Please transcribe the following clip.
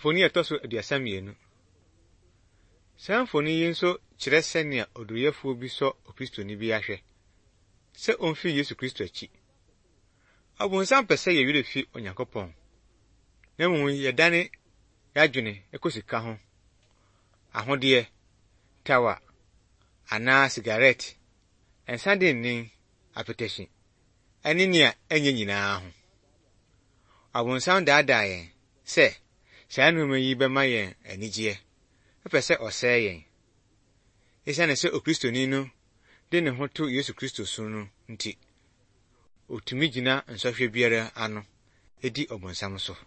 Mfoni a ɛtɔ so 32. Saa mfoni yi nso kyerɛ sɛnea oduruyɛfoɔ bi sɔ Okristoni bi ahwɛ sɛ omfi Yesu Kristo akyi. Ɔbonsam pɛ sɛ yɛn werɛ fi Onyankopɔn, na mmom yɛdane yɛn adwene kɔ sika ho, ahodeɛ, tawa, anaa sigaret, nsa dennen, apetahyi, ne nea ɛnyɛ nyinaa ho. Ɔbonsam daadaa yɛn sɛ saa nneɛma yi bɛma yɛn anigyeɛ, ɛpɛ sɛ ɔsɛe yɛn. Esiane sɛ Okristoni no de ne ho to Yesu Kristo so no nti, otumi gyina nsɔhwɛ biara ano di ɔbonsam so.